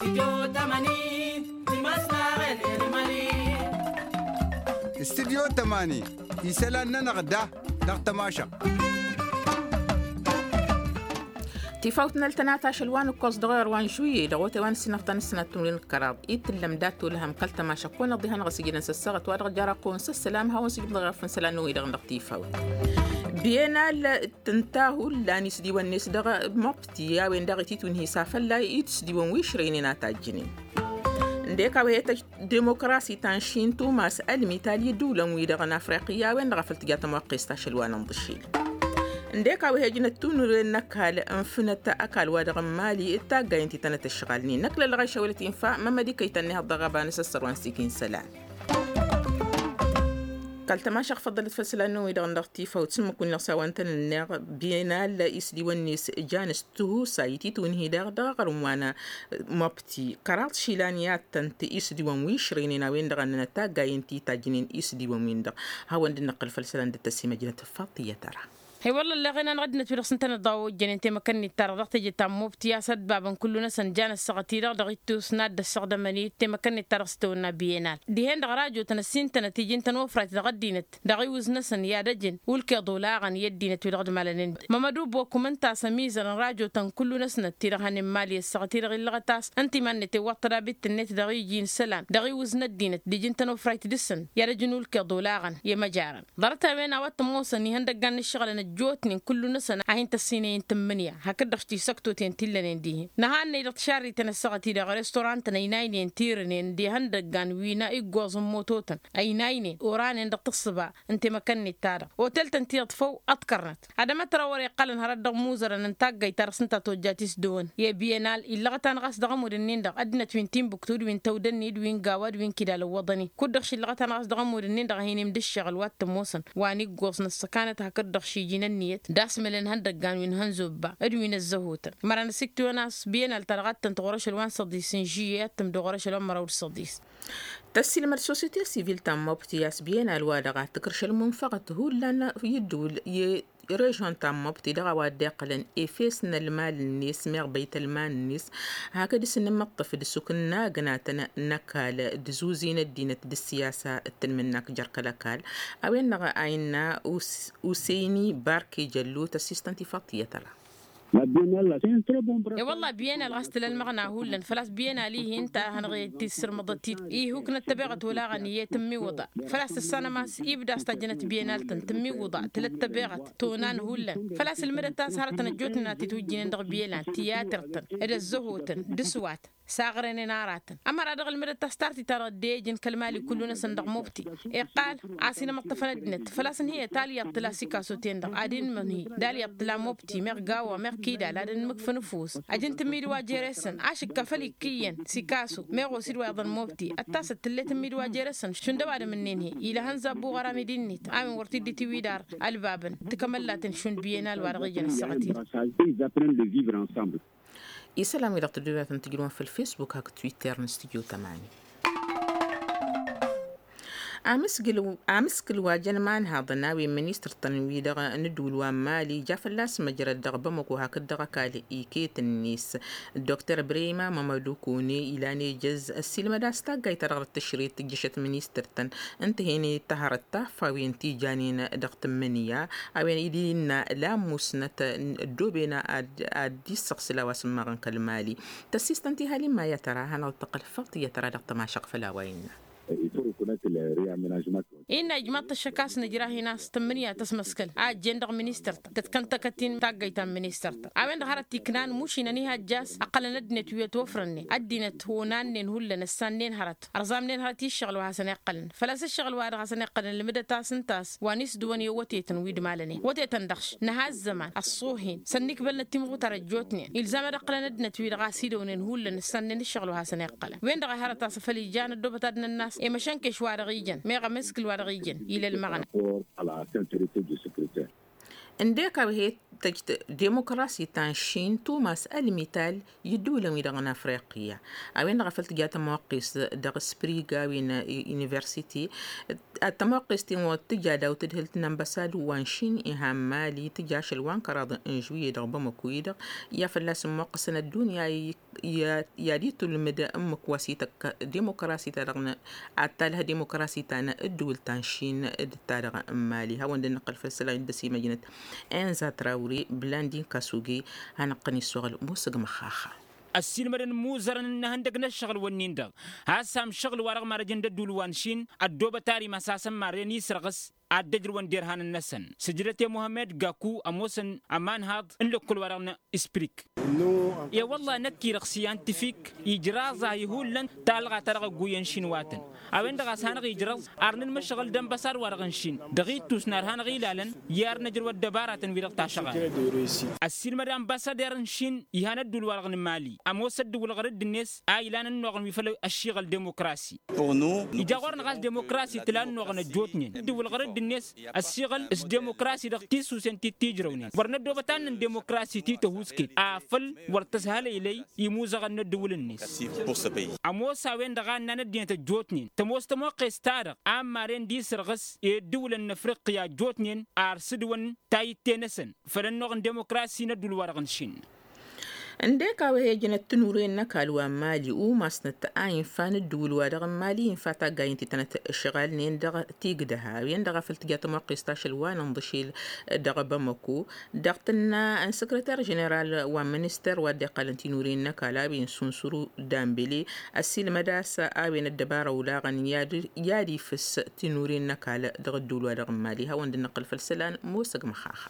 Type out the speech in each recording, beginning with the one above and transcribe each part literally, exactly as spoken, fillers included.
Studyo tămani isălan-nănăɣ da dăɣ-tămašăɣt. Tifawt n-ăltănat ašăl wa n-ǝkkoẓ dăɣ-ewăr wa n-žuye dăɣ-otay wa n-ǝssinăɣ ta n-ǝssinăt timǝrwen d-kăraḍ i-tǝllăm dat-olăhăm kăl-tămašăɣt kăwăn-iḍihănăɣ ăsigǝdăn s-ăssaɣăt wa dăɣ-jăr ăqqăwăn s-ăssălam hawăn-sǝjǝbdăɣ i-ăffăn isălan-năwăn-i-dăɣ dăɣ-tifawt. Biyănal tǝnta hullan isdiwăn-net dăɣ-mobti a-wen daɣ ititwǝnhǝy s-afălla itǝsdiwăn wi išrăynen a tajjǝnen. Ǝndek a-wa he-tăj demokrasi ta n-šin tumas ălmi talyi d-iwlăn-wi-dăɣ n-afriqi a-wen-dăɣ a făl tǝja tămoqqest ašăl wa n-inḍǝšil. Ǝndek a-wa he-ăjnăt tunǝren n-ăkall ǝnfǝnăt ăkall-wa-dăɣ n-mali d-taggay ǝnta itănăt ǝšɣalnen năkk lălɣayš a wălăt infa mămmăd ikăy-tăn-nehaḍ dăɣ-aba n-asăssăr wa n-sikin isălan. Kăl-tămašăɣ făḍḍălăt făll-isălan-năwăn-wi-dăɣ n-dăɣ-tifawt s-ǝmmǝk-win-dăɣ s-a-wa ǝntănănneɣ. Biyănal isdiwăn-net jan s-tihusay titwǝnhi daɣ dăɣ-aɣrǝm wa n-mobti kăraḍ išilan i-ad-tăn-t isdiwăn wi išrăynen a-wen-dăɣ a ǝnnănăt taggay ǝnta itajjǝnen isdiwăn-win-dăɣ. Hawăn-dd-năqqǝl făll-isălan dd-tăsimăjnăt făll-tiyyăt ara. He-wălla ălleɣen anăɣ ăddinăt wi-dăɣ s-ǝntănăt dăɣ-ojjănen temăkăn-net-ta-dăɣ dăɣ-teje ta n-mobti a-s ăddubabăn kullu-năsăn jan ăssaɣăt-i-dăɣ dăɣ-ittus n-ad-dd-ăssaɣdămăn i-temăkăn-net-ta-dăɣ s-tawănna biyenal dihen-dăɣ rajo-tăn ăssintănăt iji n-tănofrayt dăɣ-ăddinăt dăɣ-iwǝznăsăn i-ad-ăjǝn ulkeḍ olaɣăn i-ăddinăt wi-dăɣ d-imalănen. Mămăd ubo kǝmǝn-t a-s ămizăr n-rajo-tăn kullu-năsnăt ti-dăɣ hănen mali ăssaɣăt-i-dăɣ illăɣăt a-s ǝnta iman-net iwwaḍ tădabit-net dăɣ-iji n-isălan dăɣ-iwǝz n-ăddinăt d-iji n-tănofrayt dăɣ-săn i-ad-ăjǝn ulkeḍ olaɣăn i-măjarăn. Ḍarăt-a-wen a-wa t-ămoosăn ihăndăggan n-ǝššăɣǝlăn ăjjootnen kullu-năsăn a hin-tăssinăyăn tǝmmǝnǝya hakd-dăɣ tisăktoten ti ǝllănen dihen nǝhannăy dăɣ-tišarriten ăssaɣăt-i-dăɣ restorantăn ăynaynen tirǝnen d-ihăndăggan wi n-iggoẓ n-mototăn ăynaynen oranen dăɣ-tǝssǝba n-temăkăn-net-ta-dăɣ otel-tăn ti iḍfăw ăḍkărnăt ad-ămătăr a wăr-iqqălăn hărăt dăɣ-imuzărăn n-taggayt-ta-dăɣ s-ǝnta a tojjat isdăwăn i-biyănal illăɣăt-anăɣ a-s dăɣ-ămudd-ǝnnin-dăɣ ăddinăt wi n-timbuktu d-wi n-tawdănni d-wi n-gawa d-wi n-kidal ǝwwăḍăn-in kud-dăɣ šillăɣăt-anăɣ a-s dăɣ-ămudd-ǝnnin-dăɣ a hin-imdǝššăɣǝl wa t-ămoosăn wa n-iggoẓ n-ăssăkanăt hakd-dăɣ šiji n-ǝnniyăt d-asmălăn ihăndăggan wi n-hănzobba d-wi n-ăzzăhotăn măra n-ăsiktǝwăn a-s biyănal ta dăɣ-ad-tăn-tăɣur ašăl wa n-săḍis n-žiyye ad-tǝmdăɣ ɣur-ašăl wa n-măraw d-săḍis. Tăssiilmăd sosiyete sivil ta n-mobti a-s biyănal wa-dăɣ ad-tǝkrǝš ălmunfăɣăt hullan i-ǝddǝwǝl i-režon ta n-mobti dăɣ-a-wa dd-iqqălăn efes n-ălmal-net meɣ băytălman-net hakd s-nǝmmăṭṭăf d-sukǝnnagǝnatăn n-ăkall d-zuzi n-ăddinăt d-ăssiyasa d-tǝlmǝnnak jer-kăl-ăkall. A-wen-dăɣ a innă useyni barke jăllu tăssistăn tifaḍt tiyyăt ăla. E-wălla biyănal ɣas tǝla ălmăɣna hullan făl-a-s biyănal-i-hi ǝnta a hanăɣ-e-t issǝrmăḍăt-dd ihuk n-ăttăbeɣăt olaɣăn iyyăt ǝmmiwǝḍa. Făl-a-s tǝssanăm a-s ibda a-s tajjănăt biyănal-tăn tǝmmiwǝḍa tǝla ăttăbeɣăt tonan hullan. Făl-a-s ǝlmǝdăt a-s hărătăn ăjjootnen a t-itwǝjjǝynen dăɣ-biyănal tiyater-tăn d-ăzzăhotăn d-aswat s-aɣrăynen aratăn ămăra dăɣ-ǝlmǝdăt a-s tartit-ta-dăɣ dd-e-ǝjǝn kăl-mali kullu-năsăn dăɣ-mobti. Iqqal a-s inămăṭṭăfăn ăddinăt făl-a-s ǝnhǝyăt alyaḍ tǝla sikasoten-dăɣ ad-inmănhǝy d-alyaḍ tǝla mobti meɣ gawa meɣ kidal ad-ănmǝkfăn ǝfus. Ăjǝn tǝmmid wa jere-săn ašǝkka făll-ikk' iyyăn sikaso meɣ osid wa iḍăn mobti ăttasăt tǝllet ǝmmid wa jere-săn šund ăwadǝm-ǝnnin-hi ila hănzabbu ɣăramid-innet a-wen wăr t-dd-itiwidar ălbabăn. Tikămăllaten šund biyănal wa dăɣ-ijăn ăssaɣăt-in. Isălan-wi-dăɣ tăddubatăn tǝjrǝwăn făll-fesbuk hakd twitter n-studyo tămani. Amǝskǝl wa jăn imanhaḍăn a-wen ministăr-tăn-wi-dăɣ n-ǝddǝwǝl wa n-mali ja fălla-s măjrăd dăɣ-bamăko hakd dăɣ-ăkall iket-net. Dokter brema mămădukune ilan ejăz ăssiilmăd a-s taggayt-ta-dăɣ d-tǝšret tǝjjăšăt ministăr-tăn ǝnta hen-e tăhărăt taffawen ti janen dăɣ-tǝmmǝnǝya. A-wen dd-innă lamusnăt ăddooben ad-dd-issăɣsǝl a-wa s-ǝmmaɣăn kăl-mali. Tăssistăn tihalin ma i-ad-tăra a hanăɣ-dd-tăqqăl făll-tiyyăt tăra dăɣ-tămašăɣt făll-a-wa innă. Innă ijmaḍ-t ăššăk a-s nǝjrah-in a-s tǝmmǝnǝya tăsmăskăl a ăjjeen dăɣ-ministăr-tăn tǝtkăntăkăt-in taggăyt ta n-ministăr-tăn a-wen-dăɣ hărăt iknan mušinăn ihajj a-s ăqqălăn ăddinăt wi ătwăfrănnen ăddinăt honannen hullan ăssannen hărăt ărẓamnen hărăt i-ǝššăɣǝl wa hasăn-iqqălăn. Făl-a-s ǝššăɣǝl wa dăɣ-hasăn-iqqălăn ǝlmǝdăt a-s ǝnta a-s wa n-isdǝwăn i-wătetăn wi d-malănen wătetăn dăɣ-š nǝha ăzzăman ăṣṣuh-in s-ănnikbălnăt timɣutar ăjjootnen ilzam ad-ǝqqǝlăn ăddinăt wi-dăɣ a-s idăwnen hullan ǝssannen ǝššăɣǝl wa hasăn-iqqălăn wen-dăɣ a hărăt a-s afăl ijan ăddoobăt ad-nănn'-as i-măšănkeš wa dăɣ-ijăn meɣ amǝskǝl wa dăɣ-ijăn. Ila ălmăɣna. Ǝndek a-wa he-t tăjt demokrasi ta n-šin tumas ălmital i-ǝddǝwǝlăn-wi-dăɣ n-afriqya. A-wen-dăɣ a făl tǝja tămoqqest dăɣ-spriga wi n-universiti. Tămoqqest-in wăr tǝja daw-tǝdhǝlt n-ănbăsad wa n-šin iha n-mali tǝja ašăl wa n-kăraḍ n-žuwǝyye dăɣ-bamăku-i-dăɣ i-ad-fălla-s ămmoqqăsăn ăddunya. I-ad-itulmǝd ǝmmǝk wa s-ităkk demokrasi-ta-dăɣ n-ad-talh demokrasi ta n-ǝddǝwǝl ta n-šin d-ta-dăɣ n-mali hawăn-dd-nǝqqǝl făll-isălan dd-ăsimăjnăt. Inza trawri blandin kasugi. Hanăɣ-tăn-issoɣăl musǝg măxxaxa. Ăssiilmădăn imuzărăn n-ehăndăg n-ăššăɣǝl-wǝnnin-dăɣ has-sam šăɣǝl-wa-dăɣ marăjăn d-ădduul wa n-šin ăddoobăt ar imas-asăn marren isrăɣǝs ad-dd-ăjrǝwăn derhanăn-năsăn. Sǝjdăt i-muhămmed gaku ămoosăn ămanhaḍ n-lăkkol-wa-dăɣ n-isprik. E-wălla năkk-i-dăɣ siyantǝfik ijraẓ-ahi hullan talɣa ta dăɣ-ăgguyyăn šin wa tăn. A-wen-dăɣ a-s hanăɣ-ijrăẓ ar nǝnmăšɣǝl d-ănbăsad-wa-dăɣ n-šin dăɣ-ittus n-ar hanăɣ-ilalăn i-ar năjrăw ăddăbaratăn-wi-dăɣ tašăɣalăt. Ăssiilmăd ănbăsader n-šin ihan ădduul-wa-dăɣ n-mali ămoos ăddǝwǝl ɣărǝdd-net a ilan ănnuɣăn wi făll-ăššiɣăl demokrasi. Ija ɣur-năɣ a-s demokrasi tǝla ănnuɣăn ăjjootnen ǝddǝwǝl ɣărǝdd-net ăssiɣăl s-demokrasi dăɣ-tisusen ti t-ijrăwnen wăr năddoobăt ad-nǝnn demokrasi ti tăhuusket afăl wăr tăshălăylăy imuzăɣăn n-ăddǝwǝl-net. Ămoos a-wen-dăɣ a ǝnnan ăddinăt ăjjootnen tămoos tămoqqes-ta-dăɣ a ămmaren d-isrăɣǝs i-ăddǝwǝlăn n-afriqya ăjjootnen ar sǝdwăn tayǝtte-năsăn făll-ănnuɣ n-demokrasi n-ăddǝwǝl-wa-dăɣ n-šin. Ǝndek a-wa he-ǝjnăt tinuren n-ăkall wa n-mali umasnăt a infa n-ǝddǝwǝl-wa-dăɣ n-mali infa taggay ǝnta itănăt ǝšɣalnen dăɣ-tigdăh a-wen-dăɣ a făl tǝja tămoqqest ašăl wa n-inḍǝšel dăɣ-bamăko. Dăɣ-tǝnna n-săkrăter ženeral wa n-minister wa dd-iqqalăn tinuren n-ăkall a-wen sunsuru dambele ăssiilmăd-as a-wen ăddăbara olaɣăn i-ad-ifǝs tinuren n-ăkall dăɣ-ǝddǝwǝl-wa-dăɣ n-mali hawăn-dd-năqqǝl făll-isălan. Musăg măxaxa.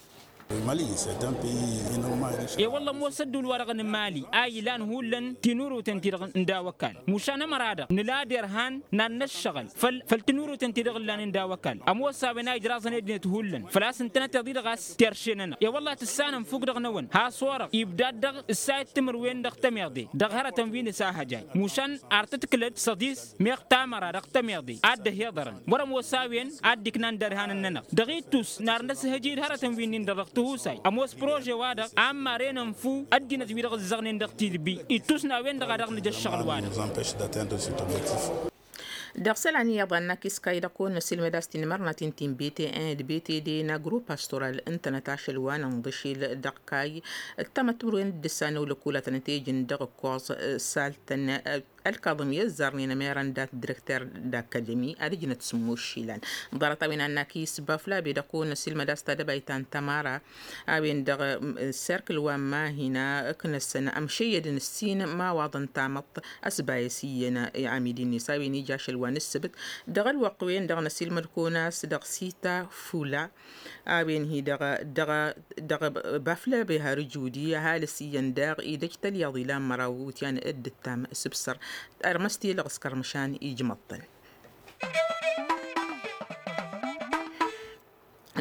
E-wălla ămoos ădduul-wa-dăɣ n-mali a ilan hullan tinuruten-ti-dăɣ n-daw-ăkall mušan ămăra-dăɣ nǝla derhan n-ad-năššăɣǝl făll-tinuruten-ti-dăɣ ǝllanen daw-ăkall ămoos a-wen a ijraẓăn i-ăddinăt hullan făl-a-s ǝntănăteḍ-i-dăɣ a-s terše-nănăɣ. E-wălla tǝssanăm fuk dăɣ-năwăn has-orăɣ ibdad dăɣ-ǝssayăt timǝrwen dăɣ-tămeḍe dăɣ-hărătăn wi n-asahăjay mušan ar tǝtǝklăd săḍis meɣ tamăra dăɣ-tămeḍe ad-dd-ăhiḍărăn wăr-ămoos a-wen ad-dd-iknan derhanăn-nănăɣ dăɣ-ittus n-ar năshăjǝy d-hărătăn wi-nin-dăɣ dăɣ-tihusay ămoos prože-wa-dăɣ a ămmaren ănfu ăddinăt wi-dăɣ ǝzzăɣnen dăɣ-tidbi ittus n-a-wen-dăɣ a dăɣ-nǝja ăššăɣǝl-wa-dăɣ. Dăɣ-isălan iyyăḍ a ǝnnak iskay dăɣ-kăwăn-năsilmăd a-s tinmărnaten ti n-bete d-bete d-agro pastoral ǝntănăt ašăl wa n-inḍǝšil dăɣ-kay ǝttămăt timǝrwen d-ǝssan n-olăkul a tănăt-ejǝn dăɣ-ǝkkoẓ saltăn. Ălkaḍăm i-ăzzarnen ămerăn dat-direkter d-akademi ad-ǝjnăt sǝmmos išilan. Ḍarăt-a-wen a ǝnnak isbaflabe dăɣ-kăwăn-năsilmăd a-s tadăbayt ta n-tămara a-wen-dăɣ serkǝl wa n-mahina ǝknăsăn ămšăyyădăn ǝssin imawaḍăn tamăḍt ăsbayăs iyyăn amidi-net a-wen ija ašăl wa n-ǝssǝbǝt. Dăɣ-ălwăqq-wen-dăɣ năsilmăd-kăwăn a-s dăɣ-sita fula a-wen-hi dăɣ-dăɣ dăɣ-baflăbe har ǝjudi ăhalǝs iyyăn daɣ idăj tălyaḍ ilan măraw iwǝtyan dd-ǝttam s-ǝbsăr. Ărmăs tilăɣ s-kărmǝšan ijmăḍ-tăn.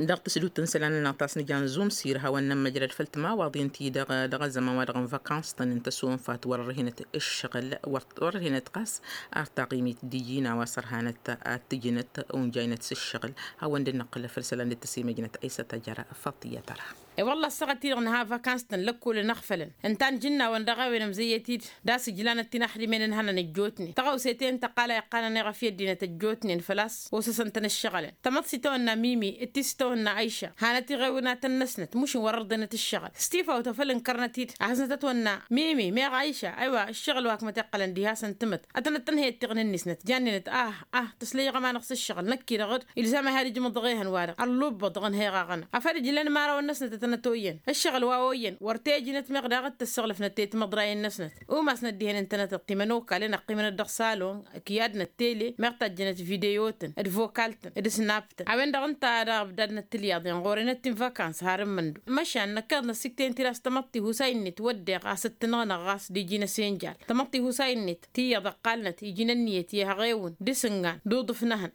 Dăɣ-tǝsdut n-isălan-nănăɣ ta s-nǝja n-zumsir hawăn-nămmăjrăd făll-timawaḍin-ti-dăɣ dăɣ-ăzzăman-wa-dăɣ n-vakans-tăn n-tăsonfat wăr-ărhinăt ǝššăɣǝl wăr-ărhinăt ɣas ar taɣimit d-iji n-a-wa s-ărhanăt ad-t-ǝjnăt unjăynăt s-ǝššăɣǝl. Hawăn-dd-năqqǝl făll-isălan dd-tăsimăjnăt ăysăt ajăra făṭ i-ad-tăra. I-wălla ăssaɣăt-i-dăɣ nǝha vakans-tăn lăkkolăn ăɣfălăn ǝnta n-ijǝnnawăn dăɣ-a-wen ămzăyyăt-dd d-asǝjlanăt ti n-aḥdǝmen ǝnhănăn ăjjootnen tăɣawse-ten tăqqal a iqqanăn i-iɣăf i-ăddinăt ăjjootnen făl-a-s osăsăn-tăn ǝššăɣǝlăn. Tamăḍt s-itawănna mimi d-ti s-itawănna ayša hanăt-iɣewǝnatăn-năsnăt mušǝn wăr ărḍenăt ǝššăɣǝl s-tifawt a făl ǝnkărnăt-dd a hăznăt ătwănna mimi meɣ ayša. Aywa ǝššăɣǝl wa kămăt iqqălăn diha-săn tǝmǝt ad-tănăt-tănhăyăt tiɣǝn-net jannenăt ah ah tăslăyăɣ ămanăɣ s-ǝššăɣǝl năkk-i-dăɣ ilzam a had-ijmăḍ dăɣ-ehăn-wa-dăɣ ăllubbăḍ dăɣ-ănhăyăɣ aɣăna afăl ǝjlăn mărawăn-năsnăt ad-tănăt-oyyăn ǝššăɣǝl wa oyyăn wăr t-ejnăt meɣ daɣ d-tăssaɣlăfnăt i-timăḍrayen-năsnăt. Umasnăt dihen ǝntănăteḍ timănokalen ăqqimănăt dăɣ-salon ǝkyadnăt tele meɣ tajjănăt video-tăn d-vocal-tăn d-snap-tăn a-wen-dăɣ ǝnta a dăɣ-ăbdadnăt tilyaḍen ɣur-enăt ti n-vakans har n-imǝndu. Măšan năkkeḍ năsikten-t-dd a-s tamăḍt tihusay-net wădden ɣas ǝttǝnɣănăɣ ɣas d-iji n-asǝnjal tamăḍt tihusay-net tiyyăḍ ăqqalnăt iji n-ǝnniyăt i-ehăɣewǝn d-isǝngan d-uḍǝf n-ehăn.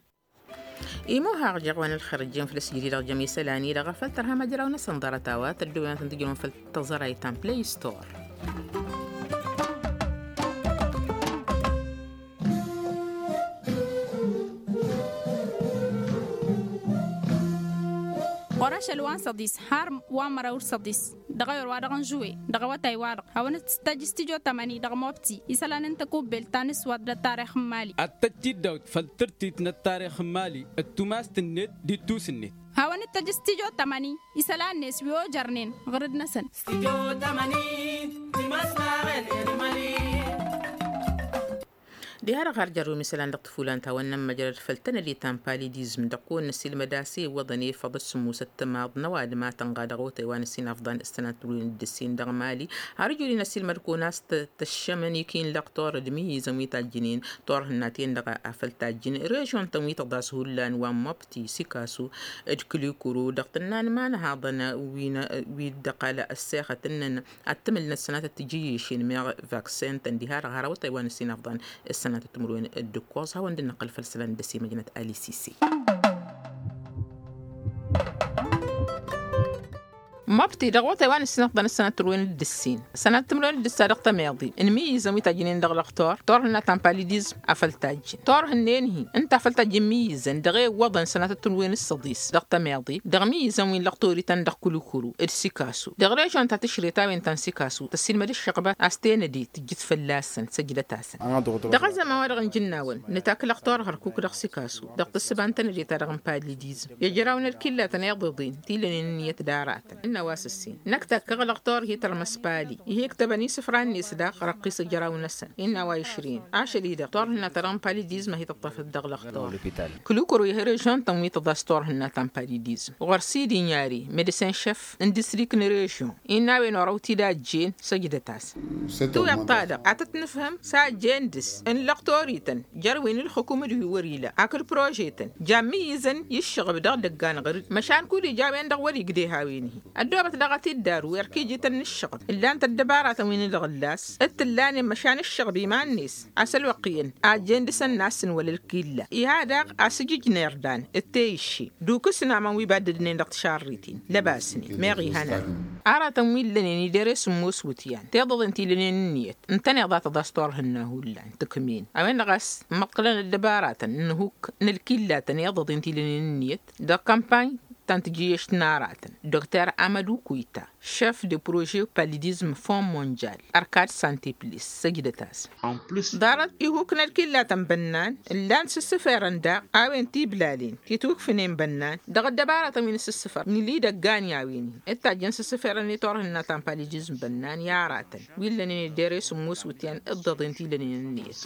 Imuhăɣ jeɣ wa n-ălxer ǝjjǝyăn făll-asǝjǝd-i-dăɣ jăm isălan-i-dăɣ a făl tărhăm ajraw-năsăn ḍarăt-a-wa tăddobem ad-tăn-tǝjrǝwăn făll-tăẓrayt ta n-play store. Ašăl wa n-săḍis har wa n-măraw d-săḍis dăɣ-ewăr-wa-dăɣ n-žuwe dăɣ-awătay-wa-dăɣ hawăn-dd-tăjj s-tijo tămăni dăɣ-mobti isălan n-takubelt ta n-ǝswăḍ d-ăttarix n-mali. Ad-tăjj tiddawt făll-tǝrtit n-ăttarix n-mali d-tumast-net d-ittus-net. Hawăn-dd-tăjj s-tijo tămăni isălan-net wi ojărnen ɣǝrǝd-năsăn. S-tijo tămăni timas taɣen n-mali. Diha-dăɣ har jărrǝwăm isălan dăɣ-tǝfulan ta wănnăn măjrăd făll-tănăde ta n-palidizm dăɣ-kăwăn-năsilmăd a-s iwwăḍăn efăḍ d-sǝmmos ăttămaḍ n-ăwadǝm a tănɣa dăɣ-otay wa n-ǝssin afḍăn s-sănat turwen d-ǝssin dăɣ-mali. Har ǝjudin ăsilmăd kăwăn a-s tăššămăn ikin lăɣ torăd miyizăn wi tajjǝnen torhǝnnaten-dăɣ a făl tajjǝn režion-tăn wi tăḍas hullan wa n-măbti sikasu d-kǝlikuru dăɣ-tǝnnan ma n-haḍăn wi-dăɣ a la ăssexăt ǝnnăn ad-tǝmǝl n-ăssanat d-tijǝyyǝšin meɣ vaksen-tăn diha-dăɣ har awătay wa n-ǝssin afḍăn ǝssanat d-timǝrwen d-ǝkkoẓ hawăn-dd-năqqăl făll-isălan d-ăsimăjnăt alisi. Măbti dăɣ-awătay wa n-ǝssin afḍăn ǝssanat d-timǝrwen d-ǝssin ǝssanat d-timǝrwen d-ǝssa dăɣ-tămeḍi n-imǝyyǝzăn wi tajjǝnen dăɣ-lăxtor torhǝnna ta n-palidizm a făl tajjǝn torhǝnnen-hi ǝnta a făl tajjǝn imǝyyǝzăn dăɣ-e iwwăḍăn sănatăt n-wen ǝssăḍis dăɣ-tămeḍe dăɣ-imǝyyǝzăn wi n-lăɣ torităn dăɣ-kulukuru d-sikasu. Dăɣ-režion ta tǝšre ta-wen ta n-sikasu tăssilmăd ǝššăɣbăt a-s tenăde tǝjjǝt fălla-săn săjdăt-asăn. Dăɣ-ăzzăman-wa-dăɣ n-ijǝnnawăn nǝtak lăɣtor hărkuk dăɣ-sikasu dăɣ-tǝssǝba n-tenăde-ta-dăɣ n-palidizm i-ăjraw n-ălkillatăn iḍeḍen ti lănen ǝnniyăt d-aratăn ǝnn' a-wa s-ǝssin năkk takkăɣ lăɣtor hi-tărmăs pali ih'-iktăbăn isǝfra-net daɣ răqqis ăjraw-năsăn innă a-wa išrǝyăn ašăl-i-dăɣ turhǝnna-ta-dăɣ n-palidizm a hi-tǝṭṭăfăt dăɣ-lăɣtor. Kǝlukăru ih' režion-tăn wi tăḍas turhǝnna ta n-palidizm ɣur-s i-dd-inyari medecin šef n-distrik n-režion innă a-wen orăw-t-dd-ajjen săjdăt-as. Tiwyaḍt-ta-dăɣ ad-tăt-nǝfhǝm s-ajjen dăr-s n-lăɣtorităn jer-wi n-ǝlxǝkum d-wi wăr-ila akǝd prože-tăn jan imǝyyǝzăn i-ǝššăɣǝb dăɣ-idăggan ɣăr-dd măšan kud-ija a-wen-dăɣ wăr-igdeh a-wen-hi. Ăddoobăt daɣ ad-t-dd-aru erk ijităn n-ǝššăɣǝb ǝllan-t ăddăbaratăn wi n-idăɣ ǝllas d-t-ǝllanen măšan ǝššăɣǝb iman-net a-s ălwăqq iyyăn ajjen dăr-săn n-assǝnwăl ălkilla iha daɣ a-s ǝjǝjner dan d-teyǝšše d-ukǝsnamăn wi baddădnen dăɣ-tišarriten lăbasnen meɣ ihănan. Aratăn wi ǝllănen idere sǝmmos wǝtyan tiḍăḍen ti lănen ǝnniyăt ǝntăneḍ a tăḍas turhǝnna hullan tǝkmen a-wen-dăɣ a-s ǝmmăḍkălăn ăddăbaratăn n-ihuk n-ălkillatăn iḍăḍen ti lănen ǝnniyăt dăɣ-kămpany ta n-tijǝyyăšt n-aratăn dokter amădu kuyta šef de prože palidizm fond mondial ărkad santeplis săjdăt-as. Ḍarăt ihuk n-ălkillatăn bănnan ǝllan s-ǝssǝferăn daɣ a-wen tiblalen titwǝkfǝnen bănnan dăɣ-ăddăbaratăn wi n-asǝssǝfăr n-ila idăggan i-a-wen-hi d-tajjăn s-ǝssǝferăn i-turhǝnna ta n-palidizm bănnan i-aratăn wi ǝllănen ed ere sǝmmos wǝtyan d-iḍeḍen ti lănen ǝnniyăt.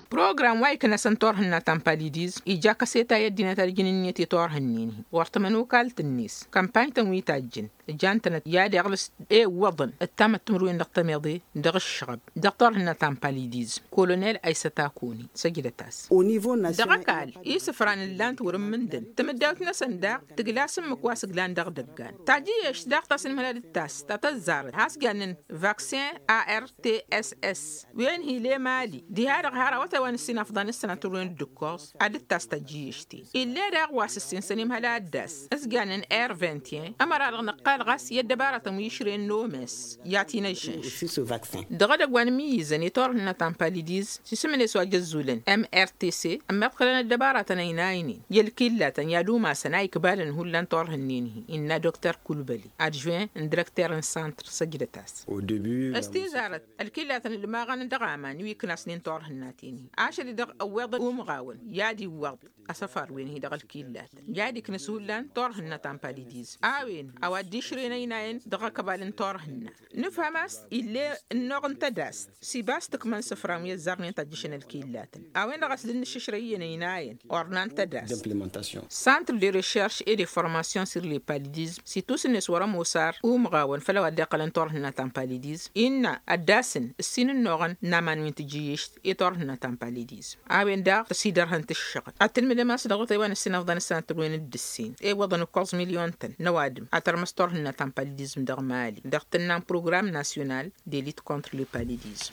Program wa iknăsăn turhǝnna ta n-palidizm ija kăseta i-ăddinăt ad-ǝjǝn ǝnniyăt i-turhǝnnen-hi ɣur-tămănokalt-net kămpany-tăn wi tajjǝn ǝjan-tănăt i-ad-iɣlǝs ewwăḍăn ǝttamăt timǝrwen dăɣ-tămeḍe dăɣ-ǝššăɣăb dăɣ-turhǝnna ta n-palidizm kolonel aysăt akoni săjdăt-as. Dăɣ-ăkall isǝfran ǝllan-t wăr-ǝmmǝndăn tamǝddawt-năsăn daɣ tǝgla s-ǝmmǝk wa s-ǝglan dăɣ-idăggan tajǝyyešt daɣ ta s-inmălăd d-tast ta tăzzarăt has-jannen vaksin artss wen hi-lemali diha-dăɣ har awătay wa n-ǝssin afḍăn d-sănatăr wen dd-ǝkkoẓ ad-dd-tas tajǝyyešt-in ill'-e daɣ wa s-ǝssin sănimhăl ad-dd-as s-jannen r vingt et un ămăra-dăɣ nǝqqal ɣas i-ăddăbaratăn wi išrăyăn n-omes i-ad-t-inăžžănš. Dăɣ-edăgg wa n-imǝyyǝzăn i-turhǝnna ta n-palidizm s-isǝm-net wa jăzzulăn mrtc ămmiḍkălăn ăddăbaratăn ăynaynen i-ălkillatăn i-ad-umasăn a ikbalăn hullan turhǝnnen-hi innă dokter kulbăli adžuwen n-direkter n-santr săjdăt-as. S-tizarăt ălkillatăn ǝlmaɣăn dăɣ-aman wi iknasnen turhǝnnaten-hi ašăl-i-dăɣ ăwweḍăn umɣawăn i-ad-iwwăḍ asăfar-wen-hi dăɣ-ălkillatăn i-ad-iknǝs hullan turhǝnna ta n-palidizm a-wen a-wa dd-išrăyăn ăynayăn dăɣ-ăkbal n-turhǝnna. Nǝfhăm a-s ill'-e ǝnnuɣ n-tădast s-ibas tǝkmăn isǝfran wi ăzzarnen tajjǝšăn ălkillatăn a-wen-dăɣ a-s dd-nǝššǝšrăy iyyăn ăynayăn ornan tădast. Santr de recherš et de formation sur le palidizm s-itus-net wăr-ămoos ar umɣawăn făll-a-wa dd-iqqălăn turhǝnna ta n-palidizm innă ăddasăn ǝssin ǝnnuɣăn n-aman wi n-tijǝyyešt i-turhǝnna ta n-palidizm a-wen daɣ tăsidărhăn tǝššăɣǝl ad-tǝlmǝdăm a-s dăɣ-otay wa n-ǝssin afḍăn s-sănatăr wen d-ǝssin iwwăḍăn ǝkkoẓ milyon-tăn n-ăwadǝm ad-tărmăs turhǝnna ta n-palidizm dăɣ-mali dăɣ-tǝnna n-program nasyonal de lit contre le palidizm.